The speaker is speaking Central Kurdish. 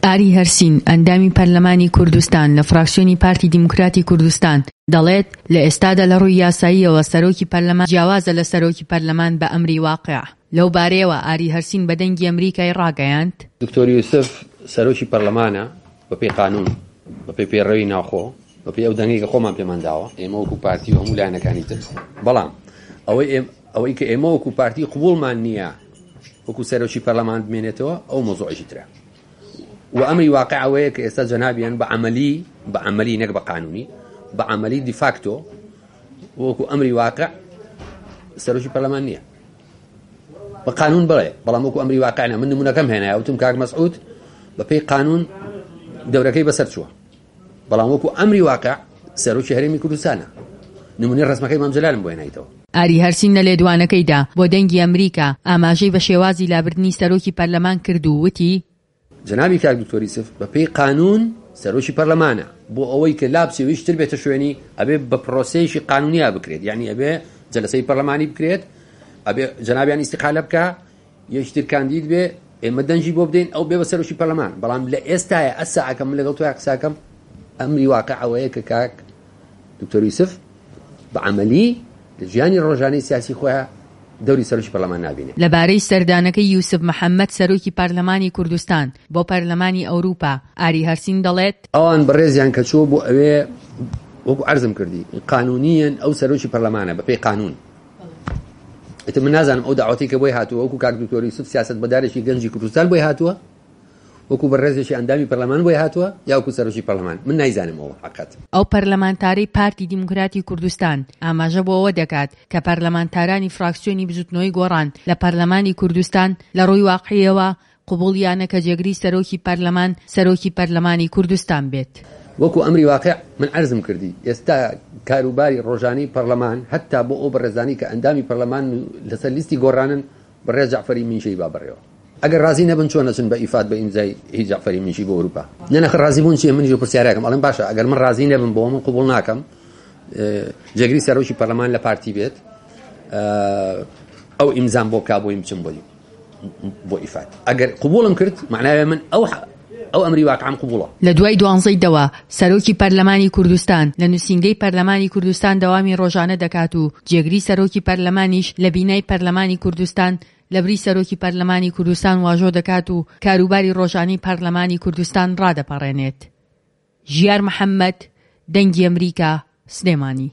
ئاری هەرسین، ئەندامی پەرلەمانی کوردستان لە فراکسیۆنی پارتی دیموکراتی کوردستان، دەڵێت، لە ئێستادا لە ڕووی یاساییەوە سەرۆکی پەرلەمان جیاوازە لە سەرۆکی پەرلەمان بە ئەمری واقیع. لەو بارەیەوە ئاری هەرسین بە دەنگی ئەمریکای ڕاگەیاند. دکتۆر یوسف سەرۆکی پەرلەمانە بەپێی قانون، بەپێی پەیڕەوی ناوخۆ، بەپێی ئەو دەنگەی کە خۆمان پێمان داوە، ئێمە وەکو پارتی و هەموو لایەنەکانی تر، بەڵام ئەوەی ئەوەی کە ئێمە وەکو پارتی قبوڵمان نییە وەکو سەرۆکی پەرلەمان بمێنێتەوە ئەو مەوزوعێکی ترە و ئەمری واقع ئەوەیە کە ئێستا جەنابیان بە عەمەلی بە عەمەلی نەک بە قانونی بە عەمەلی دیفاکتۆ وەکو ئەمری واقع سەرۆکی پەرلەمان نییە بە قانون بڵێ بەڵام وەکو ئەمری واقع نە من نمونەکەم هێنایە وتم کاک مەسعود بە پێی قانون دەورەکەی بەسەر چووە بەڵام وەکو ئەمری واقع سەرۆکی هەرێمی کوردستانە. نمونەی ڕەسمەکەی مام جەلالم بۆ هێنایتەوە. ئاری هەرسین لە لێدوانەکەیدا بۆ دەنگی ئەمریکا ئاماژەی بە شێوازی لابردنی سەرۆکی پەرلەمان کرد و وتی، جەنابی کاک دکتۆر یوسف بە پێی قانون سەرۆکی پەرلەمانە، بۆ ئەوەی کە لابچێ و هیچ تر بێتە شوێنی ئەبێ بە پرۆسەیەکی قانونیا بکرێت، یانی ئەبێ جەلەسەی پەرلەمانی بکرێت، ئەبێ جەنابیان ئیستیقالە بکا، یەکی تر کاندید بێ ئێمە دەنگی بۆ بدەین ئەو بێ بە سەرۆکی پەرلەمان بەڵام لە ئێستایا ئەسا کە من لەگەڵ تۆیا قساکەم ئەمری واقع ئەوەیە کە کاک دکتۆر یوسف بە عەمەلی لە ژیانی ڕۆژانەی سیاسی خۆیا دەوری سەرۆکی پەرلەمان نابینێ. لەبارەی سەردانەکەی یوسف محەمەد سەرۆکی پەرلەمانی کوردستان بۆ پەرلەمانی ئەوروپا، ئاری هەرسین دەڵێت، ئەوان بەڕێزیان کە چووە بۆ ئەوێ وەکو عەرزم کردی قانونیەن ئەو سەرۆکی پەرلەمانە بەپێی قانون ئیتر من نازانم ئەو داوەتەی کە بۆی هاتووە وەکو کاک دکتۆر یوسف سیاسەتمەدارێکی گەنجی کوردستان بۆی هاتووە وەکو بەڕێزێکی ئەندامی پەرلەمان بۆی هاتووە یا وەکو سەرۆکی پەرلەمان من نایزانم ئەوە حەقەت. ئەو پەرلەمانتارەی پارتی دیموکراتی کوردستان ئاماژە بۆ ئەوە دەکات کە پەرلەمانتارانی فراکسیۆنی بزوتنەوەی گۆڕان لە پەرلەمانی کوردستان لە ڕووی واقعیەوە قبوڵیانە کە جێگری سەرۆکی پەرلەمان سەرۆکی پەرلەمانی کوردستان بێت. وەکو ئەمری واقع من عەرزم کردی ئێستا کاروباری ڕۆژانەی پەرلەمان هەتا بۆ ئەو بەڕێزانەی کە ئەندامی پەرلەمانن و لەسەر لیستی گۆڕانن بەڕێز جەعفەری مینشەی با بەڕێوە ئەگەر ڕازی نەبن چۆن ئەچن بە ئیفاد بە ئیمزای هی جەعفەری مینشی بۆ ئەوروپا نە نەخ ڕازی بوون چیە منیش پرسیارێکم ئەڵێم باشە ئەگەر من ڕازی نەبم بۆ من قبوڵ ناکەم جێگری سەرۆکی پەرلەمان لە پارتی بێت ئەو ئیمزام بۆ بکا بۆیم بچم بۆی بۆ ئیفاد ئەگەر قبوڵم کرد معناوێ من ئەو ئەو ئەمری واقعم قبوڵە. لە دوای دوانزەی دەوە سەرۆکی پەرلەمانی کوردستان لە نوسینگەی پەرلەمانی کوردستان دەوامی ڕۆژانە دەکات و جێگری سەرۆکی پەرلەمانیش لە بینای پەرلەمانی کوردستان لەبری سەرۆکی پەرلەمانی کوردستان واژۆ دەکات و کاروباری ڕۆژانەی پەرلەمانی کوردستان ڕادەپەڕێنێت. ژیار محەمەد، دەنگی ئەمریکا، سلێمانی.